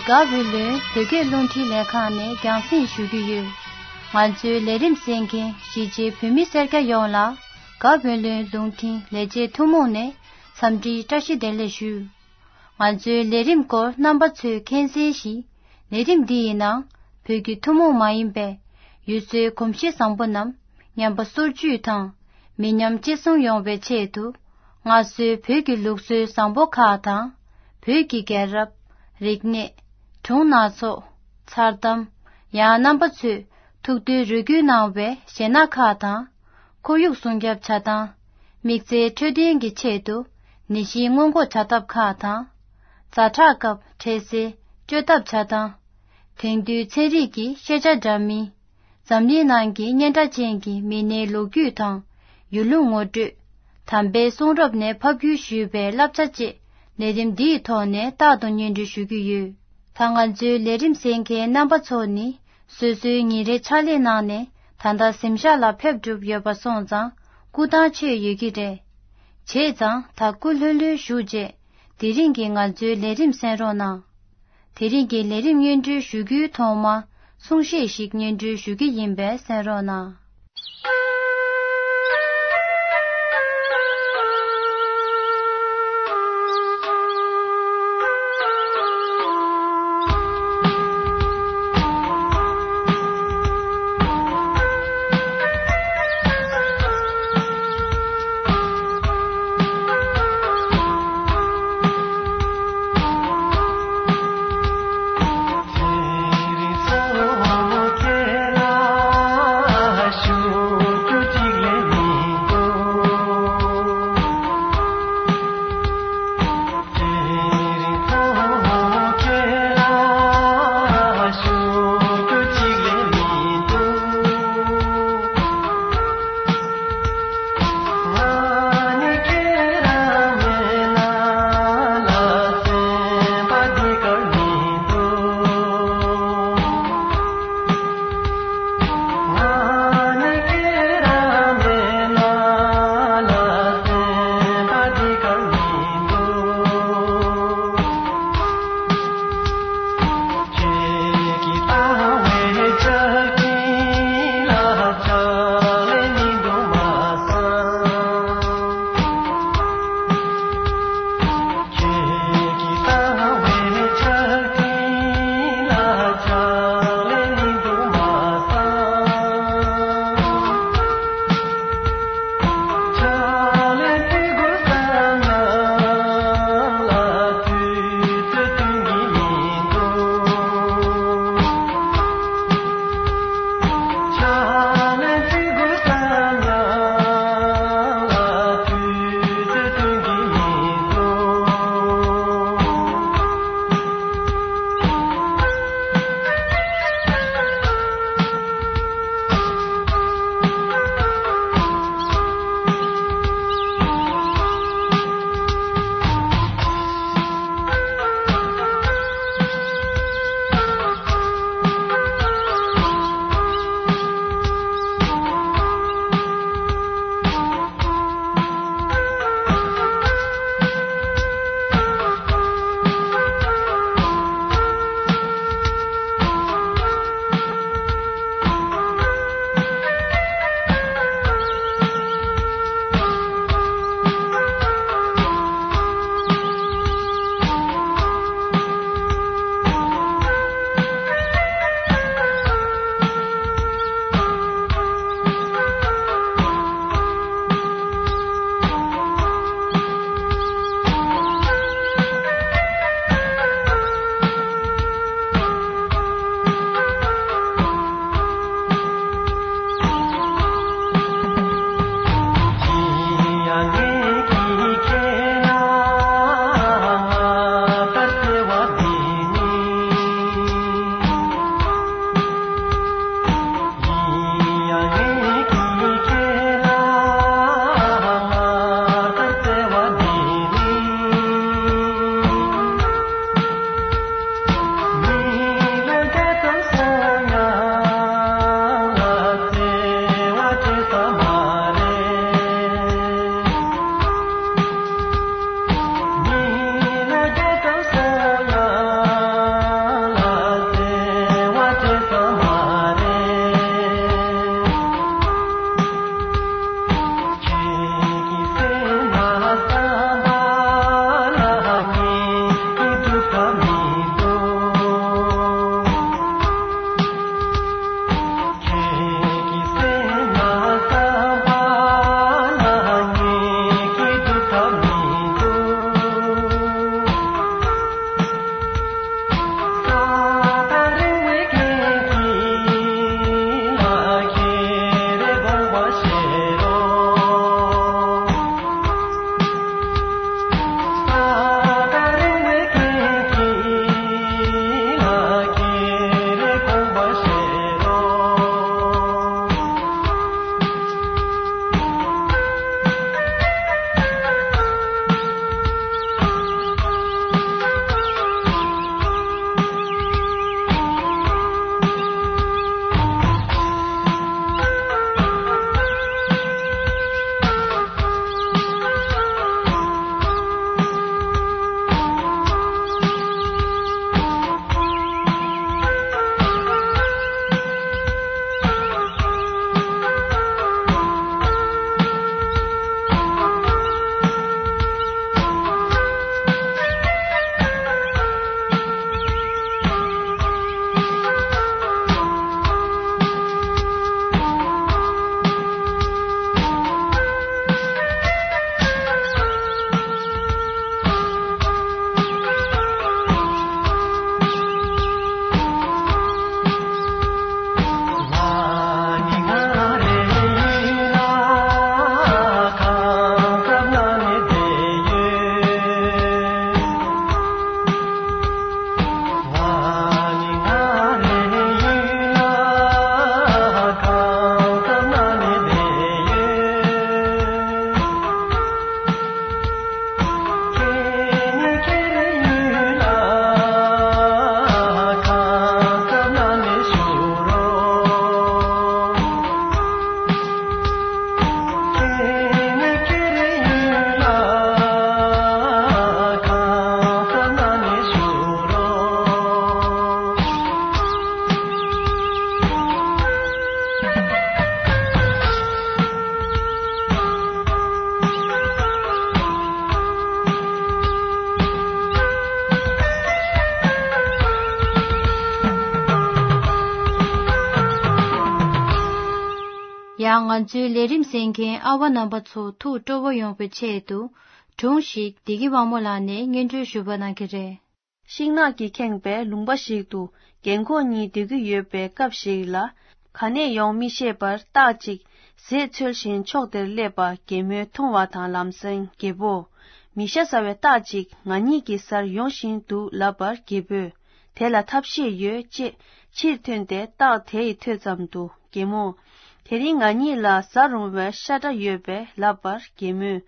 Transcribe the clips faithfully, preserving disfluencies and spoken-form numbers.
དགའ་བོད་ལུང་བོད་སྐད་རླུང་འཕྲིན་ལས་ཁང་ནས་རྒྱང་སྲིང་ཞུ་གི་ཡོད། ང་ཚོའི་ལས་རིམ་གསན་མཁན་གཞིས་བྱེས་བོད་མི་སེར་སྐྱ་ཡོངས་ལ་དགའ་བོད་ལུང་རླུང་འཕྲིན་ལས་བྱེད་ཐུན་མོང་ནས་འཚམས་འདྲིའི་བཀྲ་ཤིས་བདེ་ལེགས་ཞུ། ང་ཚོའི་ལས་རིམ་སྐོར་རྣམ་པ་ཚོས་མཁྱེན་གསལ་བཞིན། ལས་རིམ་འདི་ཡི་ནང་བོད་ཀྱི་ཐུན་མོང་མ་ཡིན་པའི་ཡུལ་སྲོལ་གོམས་གཤིས་བཟང་པོ་རྣམས་ཉམས་པ་སོར་ཆུད་དང་མི་ཉམས་གཅེས་སྲུང་ཡོང་བའི་ཆེད་དུ། སྔར་སྲོལ་བོད་ཀྱི་ལུགས་སྲོལ་བཟང་པོ་ཁག་དང་། བོད་ཀྱི་རྒྱལ་རབས། རིག་གནས། སྒྲུང་སྣ་ཚོགས། མཚར་གཏམ། ཡང་རྣམ་པ་ཚོས་ཐུགས་འདུན་རེ་སྐུལ་གནང་བའི་གཞས་སྣ་ཁག་དང་། ཁོར་ཡུག་སྲུང་སྐྱོབ་བྱ་སྟངས། དམིགས་བསལ་འཕྲོད་བསྟེན་གྱི་ཆེད་དུ་ནད་གཞི་སྔོན་འགོག་བྱ་ཐབས་ཁག་དང་། ཛ་དྲག་སྐབས་འཕྲལ་སེལ་བཅོས་ཐབས་བྱ་སྟངས། དེང་དུས་ཚན་རིག་གི་ཤེས་བྱ་འདྲ་མིན། འཛམ་གླིང་ནང་གི་སྙན་གྲགས་ཅན་གྱི་མི་སྣའི་ལོ་རྒྱུས་དང་། ཡུལ་ལུང་ངོ་སྤྲོད། དམ་པའི་གསུང་རབ་ནས་ཕབ་བསྒྱུར་ཞུས་པའི་བསླབ་བྱ་བཅས་ལས་རིམ་འདིའི་ཐོག་ནས་རྟག་ཏུ་སྙན་སྒྲོན་ཞུ་གི་ཡོད། ད་ང་ཚོའི་ལས་རིམ་གསན་མཁན་རྣམ་པ་ཚོ་ནི། སོ་སོའི་ཉིན་རེའི་ཕྱག་ལས་གནང་ནས་ད་ལྟ་གཟིམ་ཤག་ལ་ཕེབས་གྲུབ་ཡོད་པ་སོང་ཙང་སྐུ་ཐང་ཆད་ཡོད་ཀྱི་རེད། བྱས་ཙང་ད་སྐུ་ལྷོད་ལྷོད་བཞུགས་རྗེས་དེ་རིང་གི་ང་ཚོའི་ལས་རིམ་གསན་རོགས་གནང་། དེ་རིང་གི་ལས་རིམ་སྙན་སྒྲོན་ཞུ་རྒྱུའི་ཐོག་མ་གསུང་བཤད་ཞིག་སྙན་སྒྲོན་ཞུ་གི་ཡིན་པས་གསན་རོགས་གནང་། ང་ཚོའི་ལས་རིམ་གསན་མཁན་ཨ་བ་རྣམ་པ་ཚོ་ཐུགས་སྤྲོ་བོ་ཡོང་བའི་ཆེད་དུ། སྒྲུང་ཞིག་བདེ་སྐྱིད་དབང་མོ་ལགས་ནས་སྙན་སྒྲོན་ཞུ་བ་གནང་གི་རེད། ཤིང་ནགས་ཀྱིས་ཁེངས་པའི་ལུང་པ་ཞིག་ཏུ་རྒན་འཁོགས་གཉིས་སྡོད་ཀྱི་ཡོད་པའི་སྐབས་ཤིག་ལ། ག་ནས་ཡོང་མི་ཤེས་པར་སྟག་ཅིག་ཟས་འཚོལ་བཞིན་ཕྱོགས་དེར་སླེབས་པ་རྒན་མོས་མཐོང་བ་དང་། ལམ་སེང་རྒད་པོ། མི་ཤ་ཟ་བའི་སྟག་ཅིག་ང་གཉིས་ཀྱི་སར་ཡོང་བཞིན་འདུག་ལབ་པར་རྒད་པོས། དེ་ལ་ཐབས་ཤེས་ཡོད་ཅེས་ཕྱིར་ཐོན་ཏེ་སྟག་དེ་ཡི་ཐོས་ཙམ་དུ་རྒན་མོ། དེ་རིང་ང་གཉིས་ལ་ཟ་རུང་བའི་ཤ་འདྲ་ཡོད་པས་ལབ་པར་རྒན་མོས།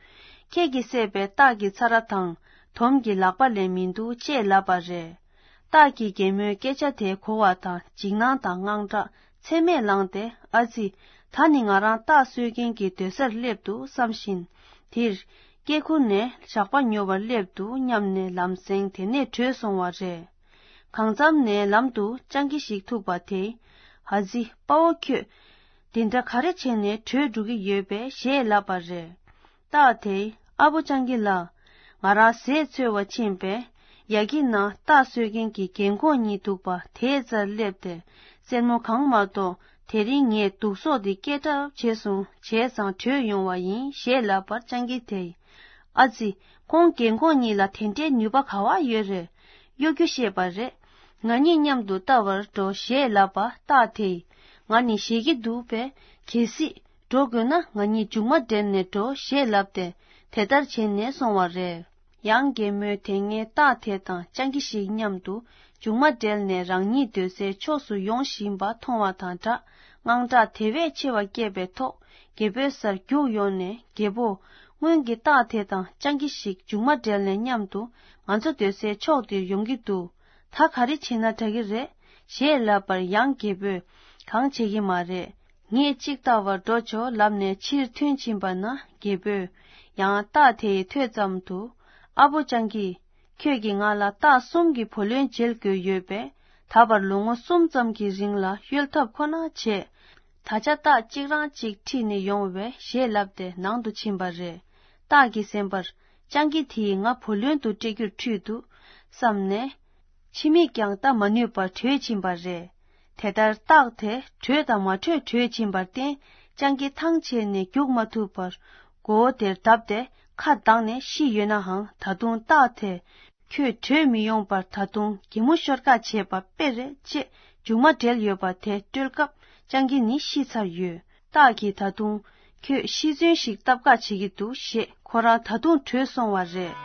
ཁྱེད་ཀྱིས་བསད་པའི་སྟག་གི་ཚ་ར་དང་དོམ་གྱི་ལག་པ་ལས་མི་འདུག་ཅེས་ལབ་པ་རེད། སྟག་གིས་རྒན་མོའི་སྐད་ཆ་དེ་གོ་བ་དང་འཇིགས་སྣང་དང་དངངས་སྐྲག་ཚད་མེད་ལངས་ཏེ། ཨ་ཙི། ད་ནི་ང་རང་སྟག་གསོད་མཁན་གྱི་སྡོད་སར་སླེབས་འདུག་བསམ་བཞིན། དེར། སྐྱེ་ཁུར་ནས་ཞགས་པ་ཉོ་བར་སླེབས་འདུག་སྙམ་ནས་ལམ་སེང་དེ་ནས་བྲོས་སོང་བ་རེད། གང་འཚམ་ནས་ལམ་དུ་སྤྱང་ཀི་ཞིག་ཐུག་པ་དེས། ཨ་ཙི། དཔའ་བོ་ཁྱོད། འདི་འདྲ་ག་རེ་བྱས་ནས་བྲོས་འགྲོ་གི་ཡོད་པས་ཞེས་ལབ་པ་རེད། སྟག་དེས། ཨ་བོ་སྤྱང་ཀི་ལགས། ང་རང་ཟས་འཚོལ་བར་ཕྱིན་པས། ཡ་གི་ན་སྟག་གསོད་མཁན་གྱི་རྒན་འཁོགས་གཉིས་འདུག་པ་དེའི་རྩར་སླེབས་ཏེ། སེན་མོ་གང་མ་གཏོགས་དེ་རིང་ངས་དུག་སོགས་དེ་སྐད་གྲགས་ཆེ་སོང་བྱས་ཙང་བྲོས་ཡོང་བ་ཡིན་ཞེས་ལབ་པར་སྤྱང་ཀི་དེས། ཨ་ཙི། ཁོང་རྒན་འཁོགས་གཉིས་ལ་དེ་འདྲའི་ནུས་པ་ག་བ་ཡོད་རེད། གཡོ་སྒྱུ་ཤེས་པ་རེད། ང་གཉིས་མཉམ་དུ་ལྟ་བར་འགྲོ་ཞེས་ལབ་པ་སྟག་དེས། ང་ནི་ཞེད་ཀྱི་འདུག་པས། གལ་སྲིད། འགྲོ་དགོས་ན་ང་གཉིས་མཇུག་མ་འབྲེལ་ནས་འགྲོ་ཞེས་ལབ་སྟེ། དེ་ལྟར་བྱས་ནས་སོང་བ་རེད། ཡང་རྒན་མོས་དེ་སྔའི་སྟག་དེ་དང་སྤྱང་ཀི་ཞིག་མཉམ་དུ་མཇུག་མ་འབྲེལ་ནས་རང་ཉིད་སྡོད་སའི་ཕྱོགས་སུ་ཡོང་བཞིན་པ་མཐོང་བ་དང་སྦྲགས། དངངས་སྐྲག་དེ་བས་ཆེ་བ་སྐྱེས་པའི་ཐོག་རྒད་པོའི་སར་རྒྱུགས་ཡོང་ནས། རྒད་པོ། སྔོན་གྱི་སྟག་དེ་དང་སྤྱང་ཀི་ཞིག་མཇུག་མ་འབྲེལ་ནས་མཉམ་དུ་ང་ཚོ་སྡོད་སའི་ཕྱོགས་འདིར་ཡོང་གི་འདུག་ད་ག་རེ་བྱེད་ན་དྲག་གི་རེད། ཞེས་ལབ་པར་ཡང་རྒད་པོས། གང་བྱེད་ཀྱི་མ་རེད། ངས་གཅིག་ལྟ་བར་འགྲོ་ཆོག་ལབ་ནས་ཕྱིར་ཐོན་ཕྱིན་པ་ན། རྒད་པོས་ཡང་སྟག་དེ་ཡི་ཐོས་ཙམ་དུ། ཨ་བོ་སྤྱང་ཀི། ཁྱོད་ཀྱིས་ང་ལ་སྟག་གསུམ་གྱི་བུ་ལོན་འཇལ་དགོས་ཡོད་པས། ད་བར་ལོ་ངོ་གསུམ་ཙམ་གྱི་རིང་ལ་གཡོལ་ཐབས་ཁོ་ན་བྱས། ད་ཆ་སྟག་གཅིག་རང་གཅིག་ཁྲིད་ནས་ཡོང་བས་ཞེས་ལབ་སྟེ་ནང་དུ་ཕྱིན་པ་རེད། སྟག་གི་སེམས་པར། སྤྱང་ཀི་དེས་ང་བུ་ལོན་དུ་སྤྲད་རྒྱུར་ཁྲིད་འདུག་བསམ་ནས། ཕྱི་མིག་ཀྱང་ལྟ་མ་ནུས་པར་བྲོས་ཕྱིན་པ་རེད། དེ་ལྟར་སྟག་དེ་བྲོས་དང་མ་བྲོས་བྲོས་ཕྱིན་པར་བརྟེན། སྤྱང་ཀི་ཐང་ཆད་ནས་རྒྱུག་མ་ཐུབ་པར། མགོ་བོ་དེར་བརྡབས་ཏེ་ཁ་གདངས་ནས་ཤི་ཡོད་ནའང་། ད་དུང་སྟག་དེས། ཁྱོད་བྲོས་མི་ཡོང་པར་ད་དུང་གད་མོ་ཤོར་ཁ་བྱས་པ་དཔེ་རེད་ཅེས་མཇུག་མ་འབྲེལ་ཡོད་པ་དེ་བཀྲོལ་སྐབས། སྤྱང་ཀི་ནི་ཤི་ཚར་ཡོད། སྟག་གིས་ད་དུང་། ཁྱོད་ཤི་གསོན་ཞིག་བཏབ་ཁ་བྱེད་ཀྱི་འདུག་ཞེས་ཁོ་རང་ད་དུང་བྲོས་སོང་བ་རེད།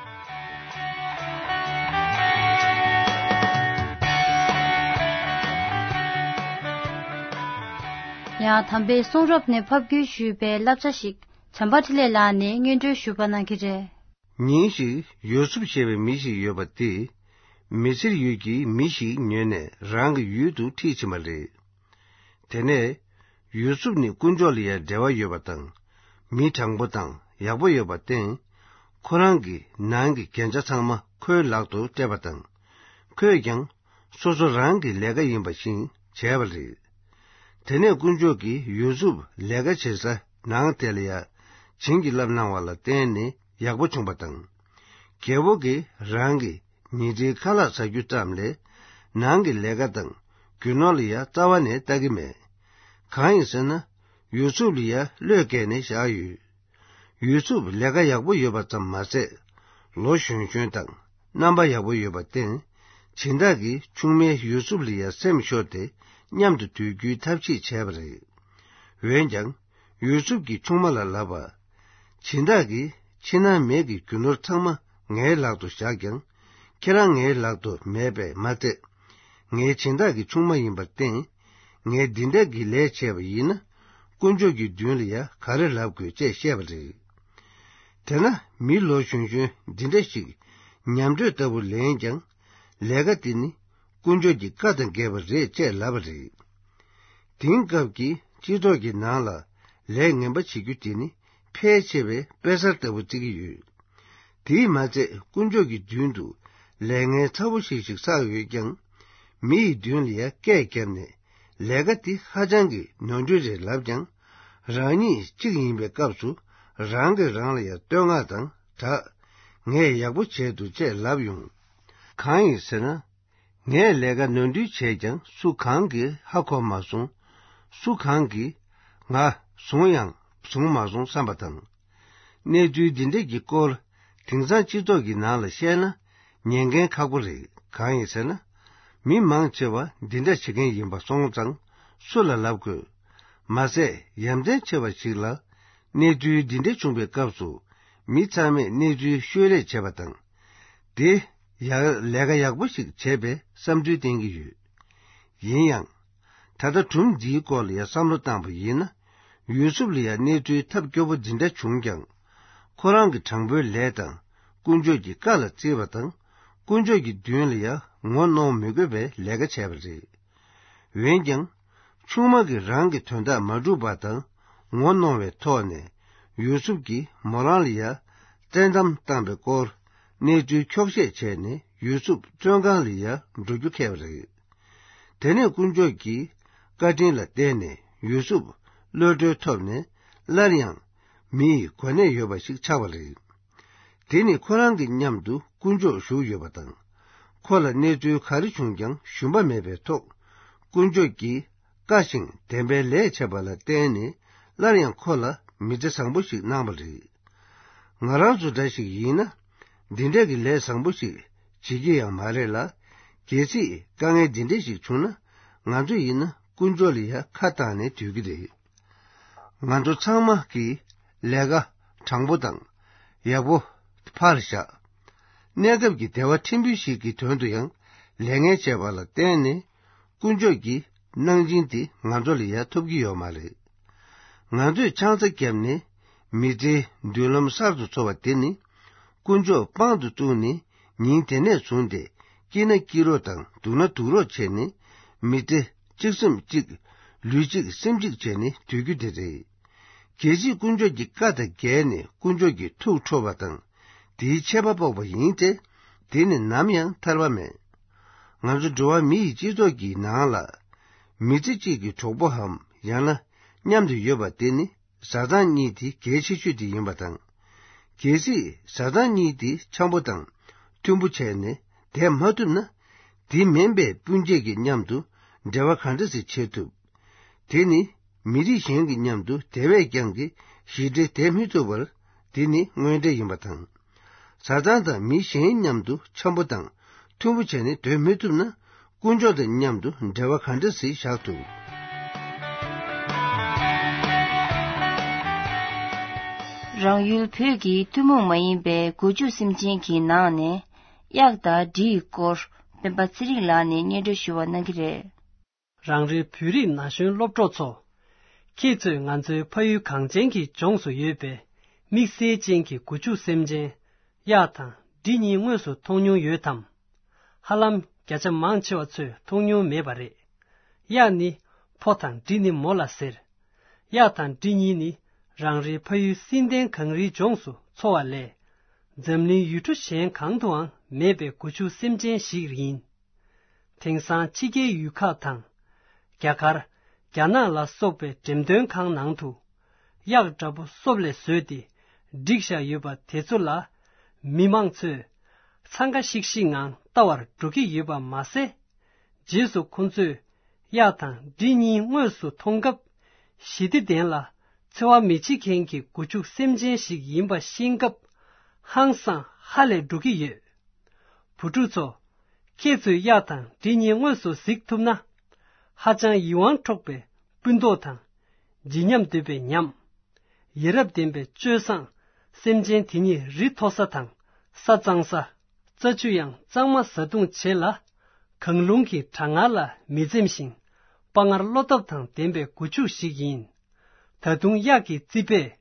ཡང་དམ་པའི་གསུང་རབ་ནས་ཕབ་བསྒྱུར་ཞུས་པའི་བསླབ་བྱ་ཞིག་བྱམས་པ་འཕྲིན་ལས་ལགས་ནས་སྙན་སྒྲོན་ཞུ་བ་གནང་གི་རེད། ཉིན་ཞིག་ཡོ་སུབ་ཞེས་པའི་མི་ཞིག་ཡོད་པ་དེས། མི་སེར་ཡུལ་གྱི་མི་ཞིག་ཉོས་ནས་རང་གི་ཡུལ་དུ་ཁྲིད་ཕྱིན་པ་རེད། དེ་ནས། ཡུ་སུབ་ནི་དཀོན་མཆོག་ལ་ཡང་འབྲེལ་བ་ཡོད་པ་དང་། མི་དྲང་པོ་དང་ཡག་པོ་ཡོད་པར་བརྟེན། ཁོ་རང་གི་ནང་གི་འགན་ཆ་ཚང་མ་ཁོའི་ལག་ཏུ་སྤྲད་པ་དང་། ཁོས་ཀྱང་སོ་སོ་རང་གི་ལས་ཀ་ཡིན་པ་བཞིན་བྱས་པ་རེད། དེ་ནས་དཀོན་མཆོག་གིས་ཡུ་སུབ་ལས་ཀ་བྱེད་ས་ནང་དེ་ལ་ཡང་བྱིན་གྱིས་བརླབས་གནང་བ་ལ་བརྟེན་ནས་ཡག་པོ་བྱུང་བ་དང་། རྒྱལ་པོ་གིས་རང་གི་ཉིན་རེའི་ཁ་ལག་ཟ་རྒྱུ་ཙམ་ལས། ནང་གི་ལས་ཀ་དང་རྒྱུ་ནོར་ལ་ཡང་རྩ་བ་ནས་ལྟ་གི་མེད། གང་ཡིན་ཟེར་ན། ཡུ་སུབ་ལ་ཡང་བློས་བཀལ་ནས་བཞག་ཡོད། ཡུ་སུབ་ལས་ཀ་ཡག་པོ་ཡོད་པ་ཙམ་མ་ཟད། ལོ་གཞོན་གཞོན་དང་རྣམ་པ་ཡག་པོ་ཡོད་པར་བརྟེན། སྦྱིན་བདག་གིས་ཆུང་མའི་ཡུ་སུབ་ལ་ཡང་སེམས་ཤོར་ཏེ་མཉམ་དུ་སྡོད་རྒྱུའི་ཐབས་ཤེས་བྱས་པ་རེད། འོན་ཀྱང་། ཡུ་སུབ་ཀྱིས་ཆུང་མ་ལ་ལབ་པ། སྦྱིན་བདག་གིས་ཕྱི་ནང་མེད་ཀྱི་རྒྱུ་ནོར་ཚང་མ་ངའི་ལག་ཏུ་བཞག་ཀྱང་། ཁྱེད་རང་ངའི་ལག་ཏུ་མེད་པས་མ་ཚད། ངའི་སྦྱིན་བདག་གི་ཆུང་མ་ཡིན་པར་བརྟེན། ངས་འདི་འདྲ་གི་ལས་བྱས་པ་ཡིན་ན། དཀོན་མཆོག་གི་མདུན་ལ་ཡང་ག་རེ་ལབ་དགོས་ཅེས་བཤད་པ་རེད། དེས་ན་མི་ལོ་གཞོན་གཞོན་འདི་འདྲ་ཞིག་ཉམས་དྲོད་ལྟ་བུ་ལེན་ཀྱང་། ལས་ཀ་འདི་ནི་དཀོན་མཆོག་གི་བཀའ་དང་འགལ་བ་རེད་ཅེས་ལབ་པ་རེད། དེང་སྐབས་ཀྱི་སྤྱི་ཚོགས་ཀྱི་ནང་ལ་ལས་ངན་པ་བྱེད་རྒྱུ་དེ་ནི་ཕལ་ཆེ་བས་དཔེ་གསར་ལྟ་བུ་བརྩི་གི་ཡོད། དེས་མ་ཚད་དཀོན་མཆོག་གི་མདུན་དུ་ལས་ངན་ཚ་བོ་ཞིག་ཞིག་བསགས་ཡོད་ཀྱང་། མི་ཡི་མདུན་ལ་ཡང་སྐད་བརྒྱབ་ནས་ལས་ཀ་འདི་ཧ་ཅང་གི་ནོར་འཁྲུལ་རེད་ལབ་ཀྱང་། རང་ཉིད་གཅིག་ཡིན་པའི་སྐབས་སུ་རང་གིས་རང་ལ་ཡང་བསྟོད་བསྔགས་དང་སྦྲགས། ངས་ཡག་པོ་བྱས་འདུག་ཅེས་ལབ་ཡོང་། གང་ཡིན་ཟེར་ན། ངས་ལས་ཀ་ནོར་འཁྲུལ་བྱས་ཀྱང་སུ་གང་གིས་ཧ་གོ་མ་སོང་། སུ་གང་གིས་ ང་བཟུང་ཡང་བཟུང་མ་སོང་བསམ་པ་དང་། གནས་ཚུལ་འདི་འདྲ་གི་སྐོར་དེང་སང་སྤྱི་ཚོགས་ཀྱི་ནང་ལ་བཤད་ན་ཉན་མཁན་ཁག་པོ་རེད། གང་ཡིན་ཟེར་ན། མི་མང་ཆེ་བ་འདི་འདྲ་བྱེད་མཁན་ཡིན་པ་སོང་ཙང་སུ་ལ་ལབ་དགོས། མ་ཟད་ཡ་མཚན་ཆེ་བ་ཞིག་ལ། གནས་ཚུལ་འདི་འདྲ་བྱུང་བའི་སྐབས་སུ་མི་ཚང་མས་གནས་ཚུལ་ཤོད་རེས་བྱེད་པ་དང་། དེ་ཡང་ལས་ཀ་ཡག་པོ་ཞིག་བྱས་པའི་བསམ་ཚུལ་བསྟན་གྱི་ཡོད། ཡིན་ཡང་། ད་ལྟ་སྒྲུང་འདིའི་སྐོར་ལ་ཡང་བསམ་བློ་བཏང་པ་ཡིན་ན། ཡུ་སུབ་ལ་ཡང་གནས་ཚུལ་ཐབས་སྐྱོ་པོ་འདི་འདྲ་བྱུང་ཀྱང་། ཁོ་རང་གི་དྲང་པོའི་ལས་དང་དཀོན་མཆོག་གི་བཀའ་ལ་བརྩི་བ་དང་། དཀོན་མཆོག་གི་མདུན་ལ་ཡང་ངོ་གནོང་མི་དགོས་པའི་ལས་ཀ་བྱས་པ་རེད། འོན་ཀྱང་། ཆུང་མ་གིས་རང་གི་དོན་དག་མ་འགྲུབ་པ་དང་ངོ་གནོང་བའི་ཐོག་ནས། ཡུ་སུབ་ཀྱིས་མོ་རང་ལ་ཡང་བཙན་གཏམ་བཏང་པའི་སྐོར་གནས་ཚུལ་འཁྱོག་བཤད་བྱས་ནས་ཡུ་སུབ་བཙོན་ཁང་ལ་ཡང་འགྲོ་རྒྱུ་འཁེལ་བ་རེད། དེ་ནས་དཀོན་མཆོག་གི་བཀའ་དྲིན་ལ་བརྟེན་ནས་ཡུ་སུབ་གློད་གྲོལ་ཐོབ་ནས་སླར་ཡང་མིའི་གོ་གནས་ཡོད་པ་ཞིག་ཆགས་པ་རེད། དེ་ནི་ཁོ་རང་གི་མཉམ་དུ་དཀོན་མཆོག་བཞུགས་ཡོད་པ་དང་། ཁོ་ལ་གནས་ཚུལ་ག་རེ་བྱུང་ཀྱང་ཞུམ་པ་མེད་པའི་ཐོག་དཀོན་མཆོག་གིས་བཀའ་བཞིན་བདེན་པའི་ལས་བྱས་པ་ལ་བརྟེན་ནས་སླར་ཡང་ཁོ་ལ་མི་ཚེ་བཟང་པོ་ཞིག་གནང་བ་རེད། ང་རང་ཚོ་འདྲ་ཞིག་ཡིན་ན། འདི་འདྲ་གི་ལས་བཟང་པོ་ཞིག་བྱེད་ཀྱི་ཡང་མ་རེད་ལ། གལ་སྲིད་དཀའ་ངལ་འདི་འདྲ་ཞིག་བྱུང་ན་ང་ཚོ་ཡིན་ན་དཀོན་མཆོག་ལ་ཡང་ཁ་བཏང་ནས་སྡོད་ཀྱི་རེད། ང་ཚོ་ཚང་མ་གིས་ལས་ཀ་དྲང་པོ་དང་ཡག་པོ་ཕར་བཞག་གནས་སྐབས་ཀྱི་བདེ་བ་ཕྲན་བུ་ཞིག་གི་དོན་དུ་ཡང་ལས་ངན་བྱས་པ་ལ་བརྟེན་ནས་དཀོན་མཆོག་གི་གནང་སྦྱིན་དེ་ང་ཚོ་ལ་ཡང་ཐོབ་ཀྱི་ཡོད་མ་རེད། ང་ཚོས་ཆང་ས་བརྒྱབ་ནས་མི་ཚེའི་མདུན་ལམ་གསར་དུ་འཚོལ་བ་དེ་ནི་དཀོན་མཆོག་དཔང་དུ་བཙུགས་ནས་ཉིན་དེ་ནས་བཟུང་སྟེ་སྐྱིད་ན་སྐྱིད་རོགས་དང་སྡུག་ན་སྡུག་རོགས་བྱས་ནས་མི་ཚེ་གཅིག་སེམས་གཅིག་ལུས་གཅིག་སེམས་གཅིག་བྱས་ནས་སྡོད་རྒྱུ་དེ་རེད། གལ་སྲིད་དཀོན་མཆོག་གི་བཀའ་དང་འགལ་ནས་དཀོན་མཆོག་གི་ཐུགས་ཁྲོ་བ་དང་དེའི་ཆད་པ་ཕོག་པ་ཡིན་ཚེ། དེ་ནི་ནམ་ཡང་ཐར་པ་མེད། ང་ཚོ་འགྲོ་བ་མི་ཡི་སྤྱི་ཚོགས་ཀྱི་ནང་ལ་མི་ཚེ་གཅིག་གི་གྲོགས་པོའམ་ཡང་ན་མཉམ་དུ་ཡོད་པ་དེ་ནི་བཟའ་ཚང་གཉིས་དེ་གལ་ཆེ་ཤོས་དེ་ཡིན་པ་དང་། གལ་སྲིད་བཟའ་ཚང་གཉིས་དེ་འཆམ་པོ་དང་མཐུན་པོ་བྱས་ནས་བསྡད་མ་ཐུབ་ན། དེ་མིན་པའི་སྤུན་མཆེད་ཀྱི་མཉམ་དུ་འབྲེལ་བ་ག་འདྲ་ཞིག་བྱེད་ཐུབ། དེ་ནི་མི་རིགས་གཞན་གྱི་མཉམ་དུ་དེ་བས་ཀྱང་གི་ཞི་བདེ་བསྡད་མི་ཐུབ་པར་དེ་ནི་དངོས་འབྲེལ་ཡིན་པ་དང་། བཟའ་ཚང་དང་མི་གཞན་མཉམ་དུ་འཆམ་པོ་དང་མཐུན་པོ་བྱས་ནས་སྡོད་མི་ཐུབ་ན། དཀོན་མཆོག་དང་མཉམ་དུ་འབྲེལ་བ་ག་འདྲ་ཞིག་བཞག་ཐུབ། རང་ཡུལ་བོད་ཀྱི་ཐུན་མོང་མ་ཡིན་པའི་སྒོ་ཕྱུགས་སེམས་ཅན་གྱི་ནང་ནས་གཡག་དང་འབྲི་ཡི་སྐོར་སྤེན་པ་ཚེ་རིང་ལགས་ནས་སྙན་སྒྲོན་ཞུ་བ་གནང་གི་རེད། རང་རེའི་བོད་རིགས་ན་གཞོན་སློབ་གྲོགས་ཚོ། ཁྱེད་ཚོས་ང་ཚོའི་ཕ་ཡུལ་གངས་ཅན་གྱི་ལྗོངས་སུ་ཡོད་པའི་དམིགས་བསལ་ཅན་གྱི་སྒོ་ཕྱུགས་སེམས་ཅན་གཡག་དང་འབྲི་གཉིས་དངོས་སུ་མཐོང་མྱོང་ཡོད་དམ། ཧ་ལམ་བརྒྱ་ཆ་མང་ཆེ་བ་ཚོས་མཐོང་མྱོང་མེད་པ་རེད། གཡག་ནི་ཕོ་དང་འབྲི་ནི་མོ་ལ་ཟེར། གཡག་དང་འབྲི་གཉིས་ནི་རང་རེའི་ཕ་ཡུལ་བསིལ་ལྡན་གངས་རིའི་ལྗོངས་སུ་འཚོ་བ་ལས། འཛམ་གླིང་ཡུལ་གྲུ་གཞན་གང་དུའང་མེད་པའི་སྒོ་ཕྱུགས་སེམས་ཅན་ཞིག་ཡིན། དེང་སང་ཕྱི་རྒྱལ་ཡུལ་ཁག་དང་། རྒྱ་གར། རྒྱ་ནག་ལ་སོགས་པའི་འགྲེམས་སྟོན་ཁང་ནང་དུ། གཡག་འདྲ་པོ་སོབ་ལས་བཟོས་ཏེ་བསྒྲིགས་བཞག་ཡོད་པ་དེ་ཚོ་ལ། མི་མང་ཚོས་འཚང་ཁ་ཤིག་ཤིག་ངང་ལྟ་བར་འགྲོ་གི་ཡོད་པ་མ་ཟད། རྗེས་སུ་ཁོ་ཚོས་གཡག་དང་འབྲི་གཉིས་དངོས་སུ་མཐོང་སྐབས། ཞི་བདེ་ལྡན་ལ་འཚེ་བ་མི་བྱེད་མཁན་གྱི་སྒོ་ཕྱུགས་སེམས་ཅན་ཞིག་ཡིན་པ་ཤེས་སྐབས། ཧང་སང་ཧ་ལས་འགྲོ་གི་ཡོད། བུ་ཕྲུག་ཚོ། ཁྱེད་ཚོས་གཡག་དང་འབྲི་གཉིས་དངོས་སུ་གཟིགས་ཐུབ་ན། ཧ་ཅང་ཡིད་དབང་འཕྲོག་པའི་སྤུན་མདོག་དང་། བརྗིད་ཉམས་དོད་པའི་ཉམས། ཡ་རབས་ལྡན་པའི་སྤྱོད་བཟང་། སེམས་ཅན་དེ་ཉིད་རི་མཐོ་ས་དང་ས་གཙང་ས། རྩྭ་ཆུ་ཡང་གཙང་མ་བཟའ་བཏུང་བྱེད་ལ། གངས་རླུང་གི་གྲང་ངར་ལ་མི་འཛེམ་ཞིང་། དཔའ་ངར་བློ་སྟོབས་དང་ལྡན་པའི་སྒོ་ཕྱུགས་ཤིག་ཡིན། ད་དུང་གཡག་གི་རྩིད་པས།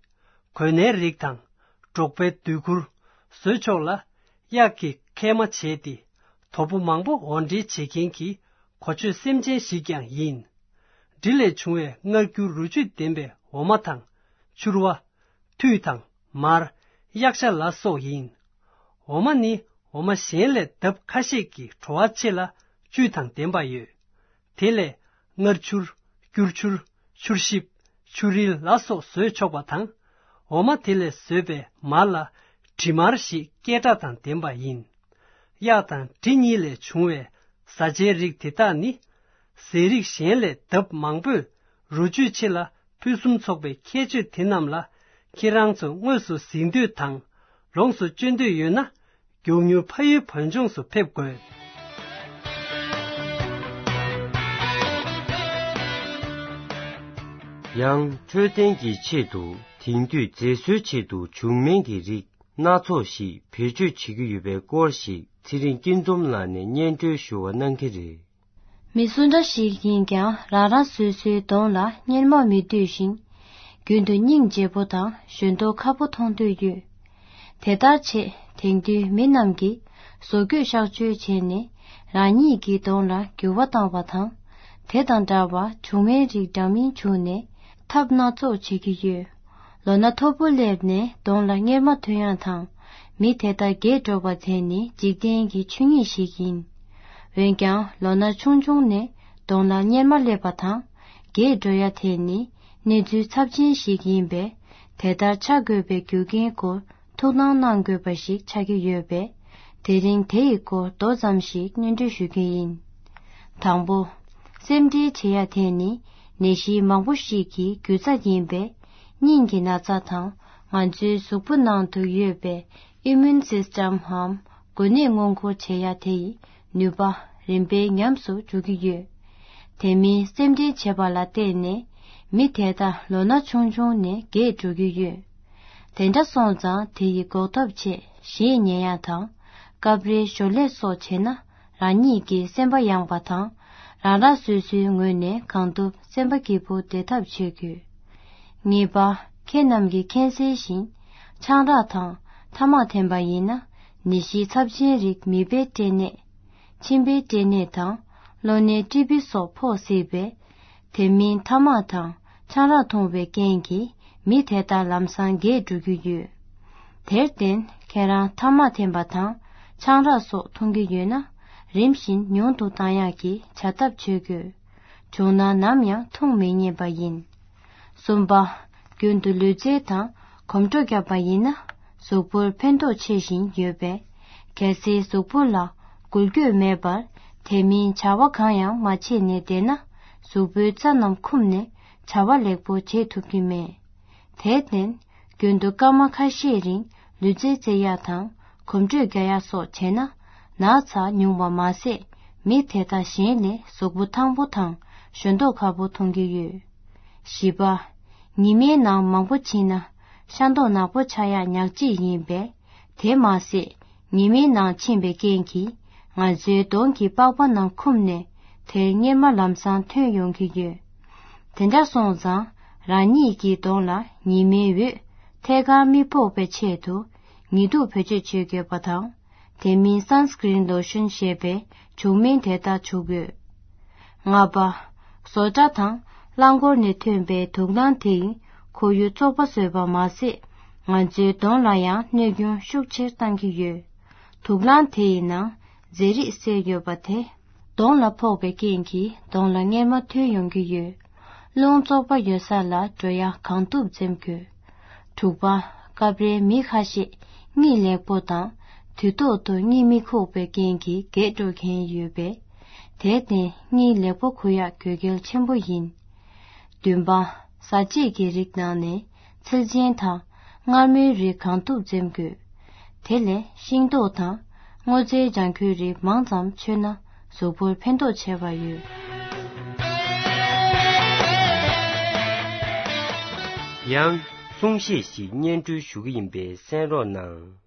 གོས་སྣའི་རིགས་དང་། འབྲོག་པའི་སྡོད་གུར། བཟོས་ཆོག་ལ། གཡག་གི་ཁལ་མ་བྱས་ཏེ། དོ་པོ་མང་པོ་འོར་འདྲེན་བྱེད་མཁན་གྱི། གོ་ཆོད་སེམས་ཅན་ཞིག་ཀྱང་ཡིན། འབྲི་ལས་བྱུང་བའི་མངར་སྐྱུར་རོ་བཅུད་ལྡན་པའི་འོ་མ་དང་། ཕྱུར་བ། ཐུད་དང་། མར། གཡག་ཤ་ལ་སོགས་ཡིན། འོ་མ་ནི་འོ་མ་གཞན་ལས་ལྡབ་ཁ་ཤས་ཀྱིས་བྲོ་བ་ཆེ་ལ་བཅུད་དང་ལྡན་པ་ཡོད། དེ་ལས་མངར་ཆུར། སྐྱུར་ཆུར། ཆུར་ཞིབ། ཆུ་རིལ་ལ་སོགས་བཟོས་ཆོག་པ་དང་། འོ་མ་དེ་ལས་བཟོས་པའི་མར་ལ་དྲི་མར་ཞེས་སྐད་གྲགས་དང་ལྡན་པ་ཡིན། གཡག་དང་འབྲི་གཉིས་ལས་བྱུང་བའི་བཟའ་བཅའི་རིགས་དེ་དག་ནི། ཟས་རིགས་གཞན་ལས་ལྡབ་མང་པོས་རོ་བཅུད་ཆེ་ལ་ ཕུན་སུམ་ཚོགས་པའི་ཁྱད་ཆོས་དེ་རྣམས་ལ་ཁྱེད་རང་ཚོ་དངོས་སུ་གཟིགས་འདོད་དང་ལོངས་སུ་སྤྱོད་འདོད་ཡོད་ན། མགྱོགས་མྱུར་ཕ་ཡུལ་བོད་ལྗོངས་སུ་ཕེབས་དགོས། ཡང་འཕྲོད་བསྟེན་གྱི་ཆེད་དུ་དེང་དུས་མཛེས་བཟོའི་ཆེད་དུ་བྱུག་སྨན་གྱི་རིགས་སྣ་ཚོགས་ཤིག་བེད་སྤྱོད་བྱེད་ཀྱི་ཡོད་པའི་སྐོར་ཞིག་ཚེ་རིང་སྐྱིད་འཛོམས་ལགས་ནས་སྙན་སྒྲོན་ཞུ་བ་གནང་གི་རེད། མི་སུ་འདྲ་ཞིག་ཡིན་ཀྱང་རང་རང་སོ་སོའི་གདོང་ལ་གཉེར་མ་མི་འདོད་བཞིན། རྒྱུན་དུ་སྙིང་རྗེ་པོ་དང་ཞོན་མདོག་ཁ་པོ་མཐོང་འདོད་ཡོད། དེ་ལྟར་བྱས་དེང་དུས་མི་རྣམས་ཀྱིས་བཟོ་བཀོད་གཤག་བཅོས་བྱས་ནས་རང་ཉིད་ཀྱི་གདོང་ལ་འགྱུར་བ་བཏང་བ་དང་། དེ་དང་འདྲ་བར་བྱུག་སྨན་རིགས་འདྲ་མིན་བྱུགས་ནས་ཐབས་སྣ་ཚོགས་བྱེད་ཀྱི་ཡོད། ལོ་ན་མཐོ་པོ་སླེབས་ནས་གདོང་ལ་གཉེར་མ་ཐོན་ཡག་དང་། མི་དེ་དག་རྒས་འགྲོ་བ་དེ་ནི་འཇིག་རྟེན་གྱི་ཆོས་ཉིད་ཞིག་ཡིན། འོན་ཀྱང་ལོ་ན་ཆུང་ཆུང་ནས་གདོང་ལ་གཉེར་མ་སླེབས་པ་དང་། རྒས་འགྲོ་ཡ་དེ་ནི་གནས་ཚུལ་ཚབས་ཆེན་ཞིག་ཡིན་པས། དེ་ལྟར་ཆགས་དགོས་པའི་རྒྱུ་རྐྱེན་སྐོར་ཐུགས་སྣང་གནང་དགོས་པ་ཞིག་ཆགས་ཀྱི་ཡོད་པས། དེ་རིང་དེ་ཡི་སྐོར་མདོ་ཙམ་ཞིག་སྙན་སྒྲོན་ཞུ་རྒྱུ་ཡིན། དང་པོ། སེམས་ཁྲལ་བྱེད་ཡ་དེ་ནི་ནད་གཞི་མང་པོ་ཞིག་གི་རྒྱུ་རྩ་ཡིན་པས། སྙིང་གི་ན་ཚ་དང་ང་ཚོའི་གཟུགས་པོ་ནང་དུ་ཡོད་པའི་ཨི་མུན་སིས་ཊམ་འམ་འགོས་ནད་སྔོན་འགོག་བྱེད་ཡ་དེ་ཡི་ནུས་པ་རིམ་པས་ཉམས་སུ་འགྲོ་གི་ཡོད། དེ་མིན་སེམས་ཁྲལ་བྱེད་པ་ལ་བརྟེན་ནས་མི་དེ་དག་ལོ་ན་ཆུང་ཆུང་ནས་རྒས་འགྲོ་གི་ཡོད། དེ་འདྲ་སོང་ཙང་དེ་ཡི་འགོག་ཐབས་ཆེད་གཞས་ཉན་ཡ་དང་། སྐབས་རེ་ཞོར་ལས་སོགས་བྱས་ན་རང་ཉིད་ཀྱི་སེམས་པ་ཡངས་པ་དང་། རང་རང་སོ་སོའི་ངོས་ནས་གང་ཐུབ་སེམས་པ་སྐྱིད་པོ་བདེ་ཐབས་བྱེད་དགོས། ངེས་པ། ཁྱེད་རྣམས་ཀྱིས་མཁྱེན་གསལ་བཞིན། ཆང་རག་དང་ཐ་མག་འཐེན་པ་ཡིན་ན་ནད་གཞི་ཚབས་ཆེན་རིགས་མིད་པའི་སྐྲན་ནད། མཆིན་པའི་སྐྲན་ནད་དང་གློ་ནད་ཊི་བི་སོགས་ཕོག་སྲིད་པས། དེ་མིན་ཐ་མག་དང་ཆང་རག་འཐུང་བའི་རྐྱེན་གྱིས་མི་དེ་དག་ལམ་སང་རྒས་འགྲོ་གི་ཡོད། དེར་བརྟེན་ཁྱེད་རང་ཐ་མག་འཐེན་པ་དང་ཆང་རག་སོགས་འཐུང་གི་ཡོད་ན་རིམ་བཞིན་ཉུང་དུ་བཏང་ཡག་གི་བྱ་ཐབས་བྱེད་དགོས། བྱུང་ན་ནམ་ཡང་འཐུང་མི་ཉན་པ་ཡིན། གསུམ་པ། རྒྱུན་དུ་ལུས་རྩལ་དང་གོམ་བགྲོད་བརྒྱབ་པ་ཡིན་ན་གཟུགས་པོར་ཕན་ཐོགས་ཆེ་བཞིན་ཡོད་པས། གལ་སྲིད་གཟུགས་པོ་ལ་འགུལ་སྐྱོད་མེད་པར་དེ་མིན་བྱ་བ་གང་ཡང་མ་བྱས་ནས་བསྡད་ན་གཟུགས་པོའི་རྩ་རྣམས་འཁུམས་ནས་བྱ་བ་ལེགས་པོ་བྱེད་ཐུབ་ཀྱི་མེད། དེར་བརྟེན། རྒྱུན་དུ་སྐར་མ་ཁ་ཤས་རིང་ལུས་རྩལ་རྩེ་ཡག་དང་གོམ་བགྲོད་རྒྱག་ཡག་སོགས་བྱས་ན་ན་ཚ་ཉུང་བ་མ་ཟད་མི་དེ་དག་གཞན་ལས་གཟུགས་པོ་ཐང་པོ་དང་ཞོན་མདོག་ཁ་པོ་མཐོང་གི་ཡོད། བཞི་པ། ཉི་མའི་ནང་མང་པོ་ཕྱིན་ན་ཤ་མདོག་ནག་པོ་ཆགས་ཡག་ཉག་གཅིག་ཡིན་པས། དེ་མ་ཟད་ཉི་མའི་ནང་ཕྱིན་པའི་རྐྱེན་གྱིས་ང་ཚོའི་གདོང་གི་པགས་པ་ནང་འཁུམས་ནས་དེར་གཉེར་མ་ལམ་སང་ཐོན་ཡོང་གི་ཡོད། དེ་འདྲ་སོང་ཙང་རང་ཉིད་ཀྱི་གདོང་ལ་ཉི་མའི་འོད་ཐད་ཀར་མི་ཕོག་པའི་ཆེད་དུ་ཉི་གདུགས་བེད་སྤྱོད་བྱེད་དགོས་པ་དང་། དེ་མིན་སན་སི་ཀི་རིན་ལོ་ཤོན་ཞེས་པའི་བྱུག་སྨན་དེ་དག་བྱུག་དགོས། ལྔ་པ། བཟོ་གྲྭ་དང་རླངས་འཁོར་ནས་ཐོན་པའི་དུག་རླངས་དེ་ཡིས་ཁོར་ཡུག་བཙོག་པ་བཟོས་པ་མ་ཟད། ང་ཚོའི་གདོང་ལ་ཡང་གནོད་སྐྱོན་ཤུགས་ཆེར་བཏང་གི་ཡོད། དུག་རླངས་དེ་ཡི་ནང་རྫས་རིགས་བསྲེས་ཡོད་པ་དེ། གདོང་ལ་ཕོག་པའི་རྐྱེན་གྱིས་གདོང་ལ་གཉེར་མ་ཐོན་ཡོང་གི་ཡོད། རླུང་བཙོག་པ་ཡོད་ས་ལ་འགྲོ་ཡ་གང་ཐུབ་འཛེམ་དགོས། དྲུག་པ། སྐབས་རེ་མི་ཁ་ཤས་གཉིད་ལེགས་པོ་དང་དུས་ཐོག་ཏུ་གཉིད་མི་ཁུག་པའི་རྐྱེན་གྱིས་རྒས་འགྲོ་མཁན་ཡོད་པས། དེར་བརྟེན་གཉིད་ལེགས་པོ་ཁུག་ཡག་དགོས་གལ་ཆེན་པོ་ཡིན། བདུན་པ། བཟའ་བཅའ་གི་རིགས་ནང་ནས་ཚིལ་ཆེན་དང་མངར་མོའི་རིགས་གང་ཐུབ་འཛེམ་དགོས། དེ་ལས་ཤིང་ཏོག་དང་སྔོ་ཚལ་ལྗང་ཁུའི་རིགས་མང་ཙམ་མཆོད་ན་གཟུགས་པོར་ཕན་ཐོགས་ཆེ་བ་ཡོད། ཡང་གསུང་བཤད་ཞིག་སྙན་སྒྲོན་ཞུ་གི་ཡིན་པས་གསན་རོགས་གནང་།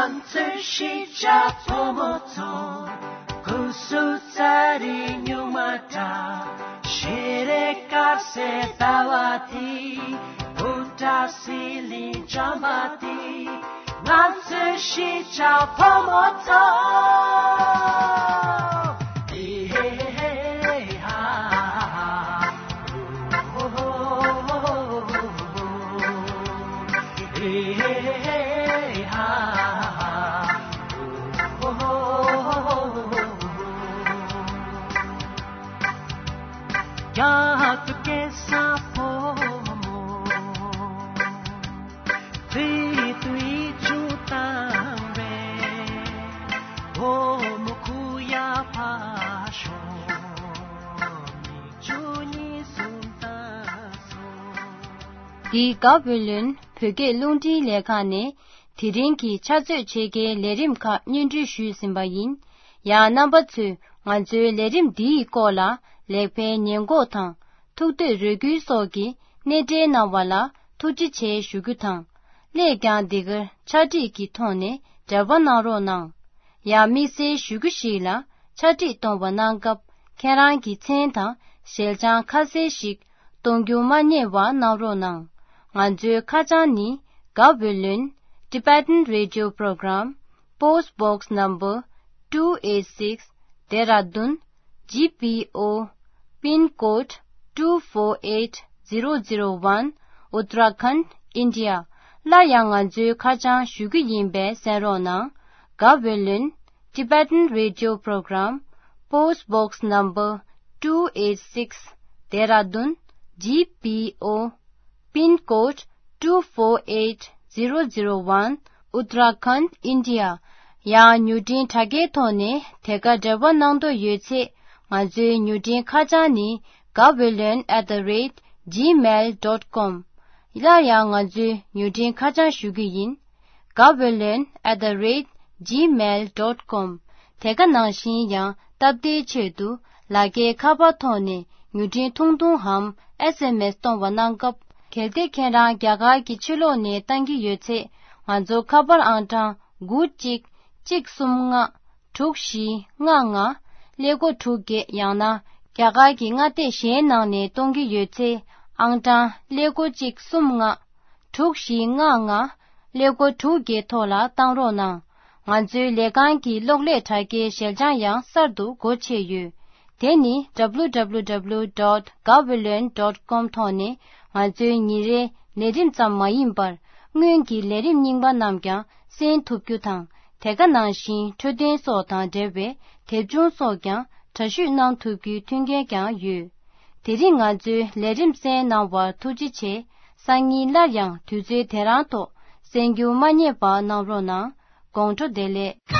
ང་ཚོའི་གཞིས་ཆགས་ཕོ་མོ་ཚོ། སྐུ་གཟུགས་ཚ་རེ་སྨྱུག་མ་འདྲ། ཞལ་རས་དཀར་གསལ་ཟླ་བ་དེ། སྤུ་འདྲ་ཟི་ལིང་འཇམ་པ་དེ། ང་ཚོའི་གཞིས་ཆགས་ཕོ་མོ་ཚོ། རྒྱ་གར་སྐད་ས་ཕོ་མོ། བོད་དུ་ཡིག་ཆུང་བཏང་བས། བུ་མོ་ཁུ་ཡ་ཕ་ཤོ། མིག་ཆུ་གཉིས་སུ་བཏང་སོང་། འདི་ག་བོད་ལོན་བོད་སྐད་རླུང་འཕྲིན་ལས་ཁང་ནས་དེ་རིང་གི་ཕྱག་ཚོད་ཕྱེད་ཀའི་ལས་རིམ་ཁག་སྙན་སྒྲོན་ཞུས་ཟིན་པ་ཡིན། ཡང་རྣམ་པ་ཚོས་ང་ཚོའི་ལས་རིམ་འདིའི་སྐོར་ལ་ལེགས་སྤེལ་ཉེས་འགོག་དང་། ཐུགས་འདོད་རེ་སྐུལ་སོགས་ཀྱི་སྣེ་འདྲེན་གནང་བ་ལ་ཐུགས་རྗེ་ཆེ་ཞུ་རྒྱུ་དང་། སླད་ཀྱང་འདི་གར་ཕྱག་བྲིས་ཀྱི་ཐོག་ནས་འབྲེལ་བ་གནང་རོགས་གནང་། ཡང་དམིགས་བསལ་ཞུ་རྒྱུ་ཞིག་ལ། ཕྱག་བྲིས་གཏོང་བ་གནང་སྐབས་ཁྱེད་རང་གི་མཚན་དང་ཞལ་བྱང་ཁ་གསལ་ཞིག་གཏོང་རྒྱུ་མ་བསྙེལ་བ་གནང་རོགས་གནང་། ང་ཚོའི་ཁ་བྱང་ནི། Gaweylon Tibetan Radio Program, Post Box Number two eight six, Dehradun, G P O, Pin Code two four eight zero zero one, Uttarakhand, India. སླར་ཡང་ང་ཚོའི་ཁ་བྱང་ཞུ་རྒྱུ་ཡིན་པས་གསན་རོགས་གནང་། Gaweylon Tibetan Radio Program, Post Box Number two eight six, Dehradun, G P O, Pin Code two four eight zero zero one, Uttarakhand, India. ཡང་མྱུར་འཕྲིན་དྲ་རྒྱའི་ཐོག་ནས་དེ་ག་འབྲེལ་བ་གནང་འདོད་ཡོད་ཚེ། ང་ཚོའི་མྱུར་འཕྲིན་ཁ་བྱང་ནི། Gaweylon at the rate gmail dot com. སླར་ཡང་ང་ཚོའི་མྱུར་འཕྲིན་ཁ་བྱང་ཞུ་རྒྱུ་ཡིན། Gaweylon at the rate gmail dot com. དེ་ག་ནང་བཞིན་ཡང་སྟབས་བདེའི་ཆེད་དུ་ལག་འཁྱེར་ཁ་པར་ཐོག་ནས་མྱུར་འཕྲིན་ཐུང་ཐུང་འམ་S M S གཏོང་བ་གནང་སྐབས། གལ་ཏེ་ཁྱེད་རང་རྒྱ་གར་གྱི་ཕྱི་ལོགས་ནས་བཏང་གི་ཡོད་ཚེ། ང་ཚོ་ཁ་པར་ཨང་གྲངས་དགུ་གཅིག་གཅིག་གསུམ་ལྔ། དྲུག་བཞི་ལྔ་ལྔ། ཀླད་ཀོར་དྲུག་བརྒྱད། ཡང་ན་རྒྱ་གར་གྱི་མངའ་སྡེ་གཞན་ནང་ནས་གཏོང་གི་ཡོད་ཚེ། ཨང་གྲངས་ཀླད་ཀོར་གཅིག་གསུམ་ལྔ། དྲུག་བཞི་ལྔ་ལྔ། ཀླད་ཀོར་དྲུག་བརྒྱད་ཐོག་ལ་བཏང་རོགས་གནང་། ང་ཚོའི་ལས་ཁང་གི་གློག་ཀླད་དྲ་རྒྱའི་ཞལ་བྱང་ཡང་གསར་དུ་སྒོ་ཕྱེ་ཡོད། དེ་ནི་W W W dot gaweylon dot com ཐོག་ནས་ང་ཚོའི་ཉིན་རེའི་ལས་རིམ་ཙམ་མ་ཡིན་པར། སྔོན་གྱི་ལས་རིམ་རྙིང་པ་རྣམས་ཀྱང་གསན་ཐུབ་རྒྱུ་དང་། དེ་ག་ནང་བཞིན་འཕྲོད་བསྟེན་སོགས་དང་འབྲེལ་བའི་དེབ་ཆུང་སོགས་ཀྱང་འདྲ་བཤུས་གནང་ཐུབ་རྒྱུའི་མཐུན་རྐྱེན་ཀྱང་ཡོད། དེ་རིང་ང་ཚོའི་ལས་རིམ་གསན་གནང་བར་ཐུགས་རྗེ་ཆེ། སང་ཉིན་སླར་ཡང་དུས་ཚོད་དེ་རང་ཐོག་གསན་རྒྱུ་མ་བསྙེལ་བ་གནང་རོགས་གནང་། དགོང་དྲོ་བདེ་ལེགས།